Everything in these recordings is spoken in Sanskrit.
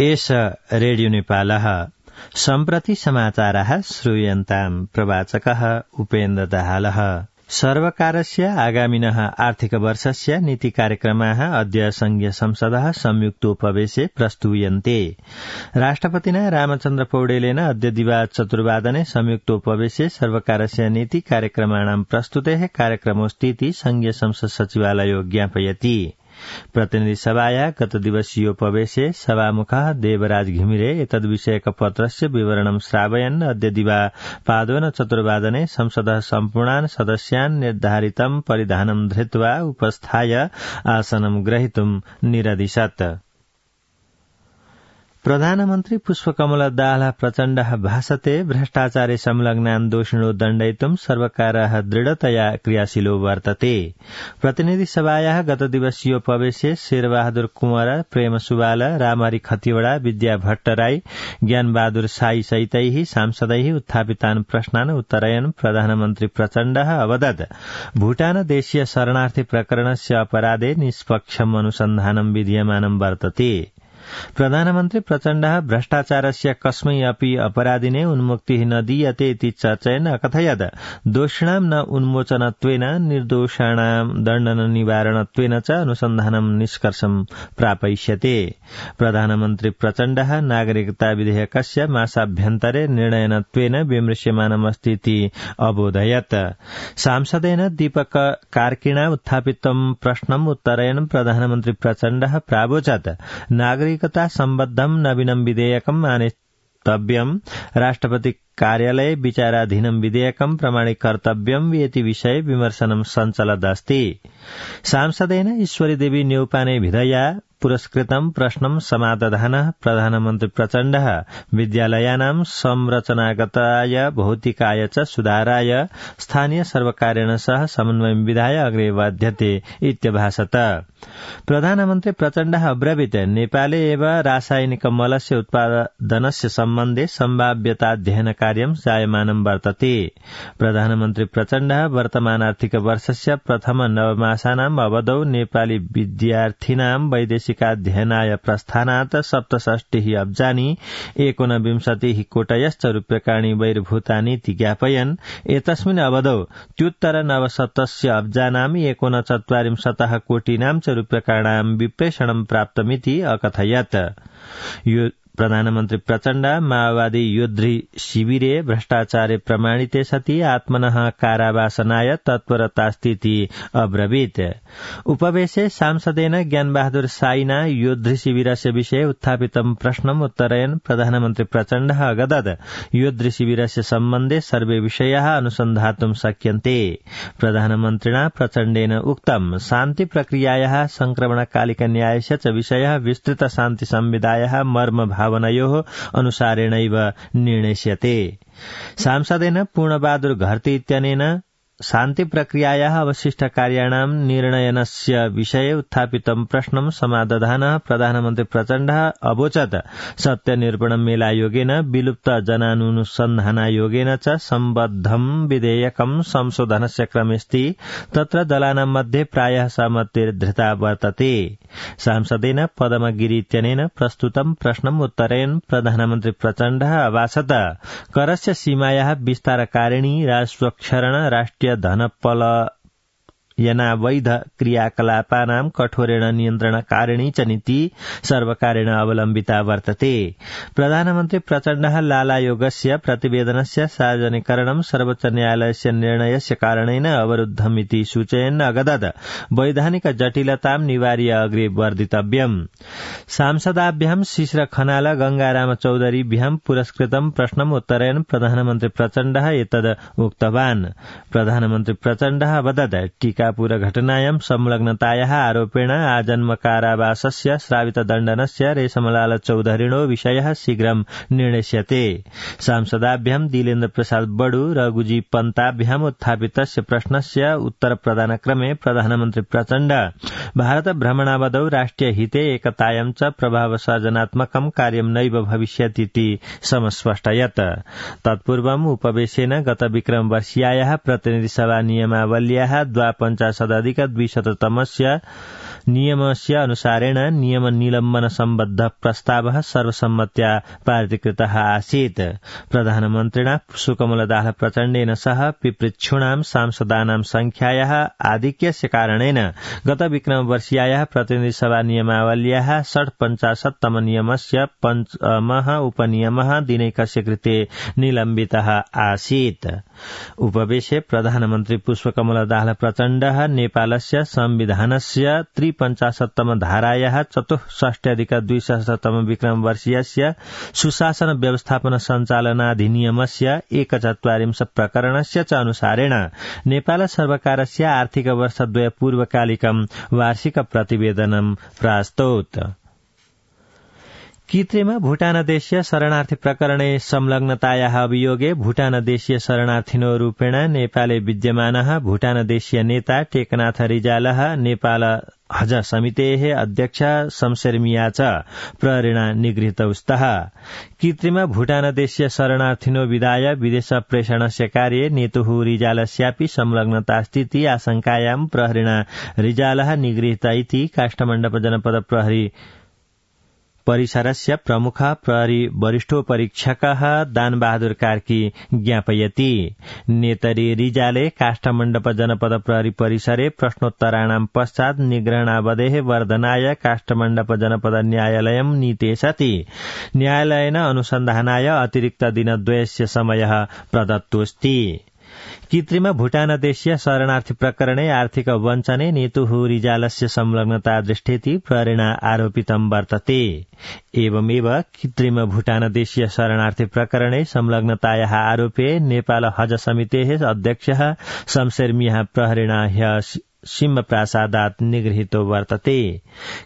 एष रेडियो नेपालः सम्प्रति समाचारः श्रूयन्ताम् प्रवाचकः उपेन्द्र दाहालः। सर्वकारस्य आगामिनः आर्थिकवर्षस्य नीतिकार्यक्रमाः अद्य संघीय संसदः संयुक्तोपवेशे प्रस्तूयन्ते। राष्ट्रपतिना रामचन्द्र पौडेलेन अद्य दिवा चतुर्वादने संयुक्तोपवेशे सर्वकारस्य नीतिकार्यक्रमाणां प्रस्तुतेः कार्यक्रमोऽस्तीति संघीय संसद सचिवालयो ज्ञापयति। प्रतिनिधिसभाया गतदिवसीयोपवेशे सभामुखः देवराज घिमिरे एतद्विषयक पत्रस्य विवरणं श्रावयन् अद्य दिवा पादोन चतुर्वादने संसदः सम्पूर्णान् सदस्यान् निर्धारितं परिधानं धृत्वा उपस्थाय आसनं ग्रहीतुं निरदिशत्। प्रधानमन्त्री पुष्पकमल दाहाल प्रचण्डः भाषते भ्रष्टाचारे संलग्नान् दोषिणो दण्डयितुं सर्वकारः दृढतया क्रियाशीलो वर्तते। प्रतिनिधिसभायाः गतदिवसीयोपवेशे शेरबहादुर कुँवर, प्रेम सुवाल, रामहरि खतिवड़ा, विद्या भट्टराई, ज्ञानबहादुर साई सहितैः सांसदैः उत्थापितान् प्रश्नान् उत्तरयन् प्रधानमन्त्री प्रचण्डः अवदत् भूटान देशीय शरणार्थी प्रकरणस्य अपराधे निष्पक्षम् अनुसन्धानं विधीयमानं वर्तते। प्रधानमन्त्री प्रचण्डः भ्रष्टाचारस्य कस्मै अपि अपराधिने उन्मुक्तिः न दीयते इति चर्चयन् अकथयत् दोषिणां न उन्मोचनत्वेन निर्दोषाणां दण्डन निवारणत्वेन च अनुसन्धानं निष्कर्षं प्रापयिष्यते। प्रधानमन्त्री प्रचण्डः नागरिकता विधेयकस्य मासाभ्यन्तरे निर्णयनत्वेन विमृश्यमानमस्ति इति अबोधयत्। सांसदेन दीपक कार्किणा उत्थापितं प्रश्नम् उत्तरयन् प्रधानमन्त्री प्रचण्डः प्रावोचत् नागरिकता सम्बद्धं नवीनं विधेयकम् आनेतव्यम्, राष्ट्रपति कार्यालये विचाराधीनं विधेयकं प्रमाणीकर्तव्यम् इति विषये विमर्शनं सञ्चलदस्ति। सांसदेन ईश्वरी देवी न्यौपाने विधया पुरस्कृतं प्रश्नं समादधानः प्रधानमन्त्री प्रचण्डः विद्यालयानां संरचनागताय भौतिकाय च सुधाराय स्थानीय सर्वकारेण सह समन्वयं विधाय अग्रे वर्ध्यते इत्यभाषत। प्रधानमन्त्री प्रचण्डः अब्रवीत् नेपाले एव रासायनिक मलस्य उत्पादनस्य सम्बन्धे सम्भाव्यताध्ययन कार्यं जायमानं वर्तते। प्रधानमन्त्री प्रचण्डः वर्तमान आर्थिक वर्षस्य प्रथम नवमासानाम् अवधौ नेपाली विद्यार्थिनां वैदेशिकाध्ययनाय प्रस्थानात् 67 अब्जानि 29 कोटयश्च रूप्यकाणि बहिर्भूतानि इति ज्ञापयन् एतस्मिन् अवधौ त्युत्तर 97 अब्जानां 49 कोटीनां च रूप्यकाणां विप्रेषणं प्राप्तमिति अकथयत्। प्रधानमन्त्री प्रचण्ड माओवादी योद्धि शिविरे भ्रष्टाचारे प्रमाणिते सति आत्मनः कारावासनाय तत्परतास्तीति अब्रवीत्। उपवेशे सांसदेन ज्ञानबहादुर साईना योद्धि शिविरस्य विषये उत्थापितं प्रश्नम् उत्तरयन् प्रधानमन्त्री प्रचण्डः अगदत् योद्धि शिविरस्य सम्बन्धे सर्वे विषयाः अनुसन्धातुं शक्यन्ते। प्रधानमन्त्रिणा प्रचण्डेन उक्तं शान्ति प्रक्रियायाः संक्रमणकालिक न्यायस्य च विषयः विस्तृत शान्ति संविधायाः मर्म भावनयोः अनुसारेणैव निर्णेष्यते। सांसदेन पूर्णबहादुर घरती इत्यनेन शान्ति प्रक्रियायाः अवशिष्ट कार्याणां निर्णयनस्य विषये उत्थापितं प्रश्नं समादधानः प्रधानमन्त्री प्रचण्डः अवोचत् सत्यनिरूपण मेलायोगेन विलुप्त जनानुसन्धानायोगेन च सम्बद्धं विधेयकं संशोधनस्य क्रमेऽस्ति, तत्र दलानां मध्ये प्रायः सहमतिर्धृता वर्तते। सांसदेन पदमगिरि इत्यनेन प्रस्तुतं प्रश्नम् उत्तरयन् प्रधानमन्त्री प्रचण्डः अभाषत करस्य सीमायाः विस्तारकारिणी राजस्वक्षरण राष्ट्रिय धनपलायनावैध क्रियाकलापानां कठोरेण नियन्त्रणकारिणी च नीति सर्वकारेण अवलम्बिता वर्तते। प्रधानमन्त्री प्रचण्डः लालायोगस्य प्रतिवेदनस्य सार्वजनिकरणं सर्वोच्च न्यायालयस्य निर्णयस्य कारणेन अवरुद्धमिति सूचयन् अगदत् वैधानिक जटिलतां निवार्य अग्रे वर्धितव्यम्। सांसदाभ्यां शिशिर खनाल गंगाराम चौधरीभ्यां पुरस्कृतं प्रश्नम् उत्तरयन् प्रधानमन्त्री प्रचण्डः एतद् उक्तवान्। प्रधानमन्त्री प्रचण्डः अवदत् टीकापुर घटनायां संलग्नतायाः आरोपेण आजन्म कारावासस्य श्रावित दण्डनस्य रेशमलाल चौधरीणो विषयः शीघ्रं निर्णेष्यते। सांसदाभ्यां दिलेन्द्र प्रसाद बडू रघुजी पन्ताभ्याम् उत्थापितस्य प्रश्नस्य उत्तर प्रदानक्रमे प्रधानमन्त्री प्रचण्ड भारत भ्रमणावधौ राष्ट्रिय हिते एकतायां च प्रभावसर्जनात्मकं कार्यं नैव भविष्यतीति समस्पष्टयत्। तत्पूर्वम् उपवेशेन गत विक्रम वर्षीयायाः प्रतिनिधिसभा नियमावल्याः 52 अधिक 200 तमस्य नियमस्य अनुसारेण नियम निलम्बन सम्बद्ध प्रस्तावः सर्वसम्मत्या पारितकृतः आसीत्। प्रधानमन्त्रिणा सुकमलदास प्रचण्डेन सह पिपृच्छूणां सांसदानां संख्यायाः आधिक्यस्य कारणेन गत विक्रमवर्षीयायाः प्रतिनिधिसभा नियमावल्याः 55तम नियमस्य पञ्चमः उपनियमः दिनैकस्य कृते निलम्बितः आसीत्। उपवेशे प्रधानमन्त्री पुष्पकमलदास प्रचण्डः नेपालस्य संविधानस्य 53तम धारायाः 64+200तम विक्रमवर्षीयस्य सुशासन व्यवस्थापन सञ्चालनाधिनियमस्य 41 प्रकरणस्य च अनुसारेण नेपाल सर्वकारस्य आर्थिक वर्षद्वय पूर्वकालिकं वार्षिक प्रतिवेदनं प्रास्तौत्। कृत्रिम भूटानदेशीय शरणार्थी प्रकरणे संलग्नतायाः अभियोगे भूटानदेशीय शरणार्थिनो रूपेण नेपाले विद्यमानः भूटानदेशीय नेता टेकनाथ रिजालः नेपाल हज समितेः अध्यक्ष शमशेर च प्रहरेण निगृहीतौ स्तः। कृत्रिम भूटानदेशीय शरणार्थिनो विदाय विदेश प्रेषणस्य कार्ये नेतुः रिजालस्यापि संलग्नतास्थिति आशंकायां प्रहरेण रिजालः निगृहीत इति काष्ठमण्डप जनपद प्रहरी परिसरस्य प्रमुख प्रहरी वरिष्ठोपरीक्षकः दानबहादुर कार्की ज्ञापयति। नेतरी रिजाले काष्ठमण्डप जनपद प्रहरी परिसरे प्रश्नोत्तराणां पश्चात् निग्रहणावधेः वर्धनाय काष्ठमण्डप जनपद न्यायालयं नीते सति न्यायालयेन अनुसन्धानाय अतिरिक्त दिनद्वयस्य समयः प्रदत्तोऽस्ति। कृत्रिम भूटानदेशीय शरणार्थी प्रकरणे आर्थिक वञ्चने नेतुः रिजालस्य संलग्नता दृष्टेति प्रहरेण आरोपितं वर्तते। एवमेव कृत्रिम भूटानदेशीय शरणार्थी प्रकरणे संलग्नतायाः आरोपे नेपाल हज समितेः अध्यक्षः शमशेर प्रहरेण ह्यः सिंहप्रासादात् निगृहीतो वर्तते।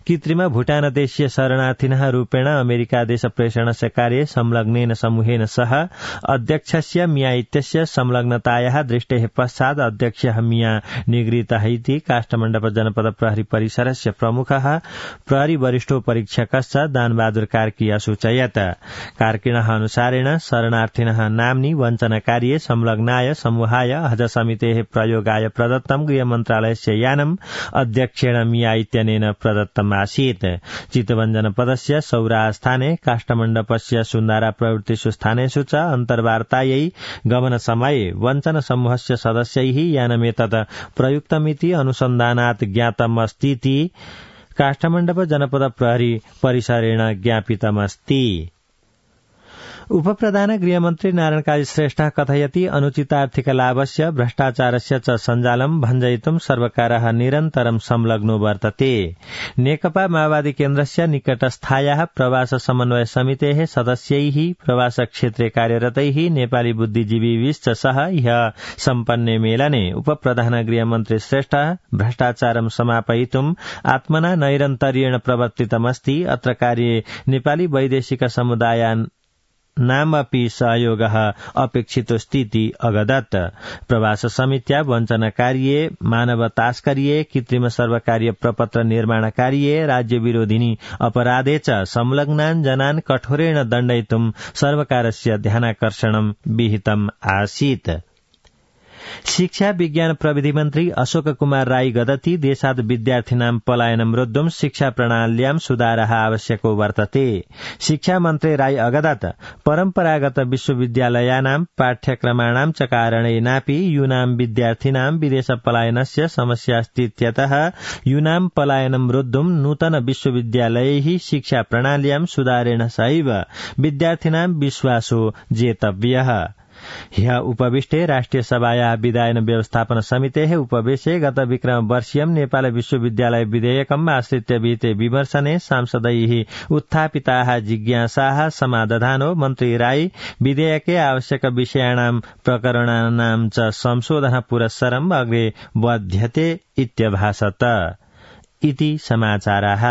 कृत्रिम भूटानदेशीय शरणार्थिनः रूपेण अमेरिका देश प्रेषणस्य कार्ये संलग्नेन समूहेन सह अध्यक्षस्य मिया इत्यस्य संलग्नतायाः दृष्टेः पश्चात् अध्यक्षः मिया निगृहीतः इति काष्ठमण्डप जनपद प्रहरी परिसरस्य प्रमुखः प्रहरी वरिष्ठोपरीक्षकश्च दानबहादुर कार्की असूचयत्। कार्किणः अनुसारेण शरणार्थिनः नाम्नि वञ्चनकार्ये संलग्नाय समूहाय हज समितेः प्रयोगाय प्रदत्तं गृहमन्त्रालयस्य यानम् अध्यक्षेण मिया इत्यनेन प्रदत्तम् आसीत्। चितवन जनपदस्य सौरास्थाने काष्ठमण्डपस्य सुन्दारा प्रवृत्तिषु स्थानेषु च अन्तर्वार्तायै गमनसमये वञ्चन समूहस्य सदस्यैः यानमेतत् प्रयुक्तमिति अनुसन्धानात् ज्ञातमस्तीति काष्ठमण्डप जनपद प्रहरी परिसरेण ज्ञापितमस्ति। उपप्रधान गृहमन्त्री नारायण काजी श्रेष्ठः कथयति अनुचितार्थिक लाभस्य भ्रष्टाचारस्य च सञ्जालं भञ्जयितुं सर्वकारः निरन्तरं संलग्नो वर्तते। नेकपा माओवादी केन्द्रस्य निकटस्थायाः प्रवास समन्वय समितेः सदस्यैः प्रवास क्षेत्रे कार्यरतैः नेपाली बुद्धिजीविभिश्च सह ह्यः सम्पन्ने मेलने उपप्रधान गृहमन्त्री श्रेष्ठः भ्रष्टाचारं समापयितुं आत्मना नैरन्तर्येण प्रवर्तितमस्ति। अत्र कार्ये नेपाली वैदेशिक समुदायान् नामपि सहयोगः अपेक्षितोऽस्तीति अगदत्। प्रवास समित्या वञ्चनकार्ये मानव तास्कर्ये कृत्रिम सर्वकारीय प्रपत्र निर्माण कार्ये राज्य विरोधिनी अपराधे च संलग्नान् जनान् कठोरेण दण्डयितुं सर्वकारस्य ध्यानाकर्षणं विहितम् आसीत्। शिक्षा विज्ञान प्रविधि मन्त्री अशोक कुमार राई गदति देशात् विद्यार्थिनां पलायनं रोद्धुं शिक्षा प्रणाल्यां सुधारः आवश्यको वर्तते। शिक्षा मन्त्री राई अगदत् परम्परागत विश्वविद्यालयानां पाठ्यक्रमाणां च कारणेनापि यूनां विद्यार्थिनां विदेश पलायनस्य समस्यास्तीत्यतः यूनां पलायनं रोद्धुं नूतन विश्वविद्यालयैः शिक्षा प्रणाल्यां सुधारेण सहैव विद्यार्थिनां विश्वासो जेतव्यः। ह्यः उपविष्टे राष्ट्रिय सभायाः विधायन व्यवस्थापन समितेः उपवेशे गत विक्रम वर्षीयं नेपाल विश्वविद्यालय विधेयकम् आश्रित्य विहिते विमर्शने सांसदैः उत्थापिताः जिज्ञासाः समाधानो मन्त्री राई विधेयके आवश्यक विषयाणां प्रकरणानां च संशोधन पुरस्सरम् अग्रे वर्ध्यते इत्यभाषत। इति समाचाराः।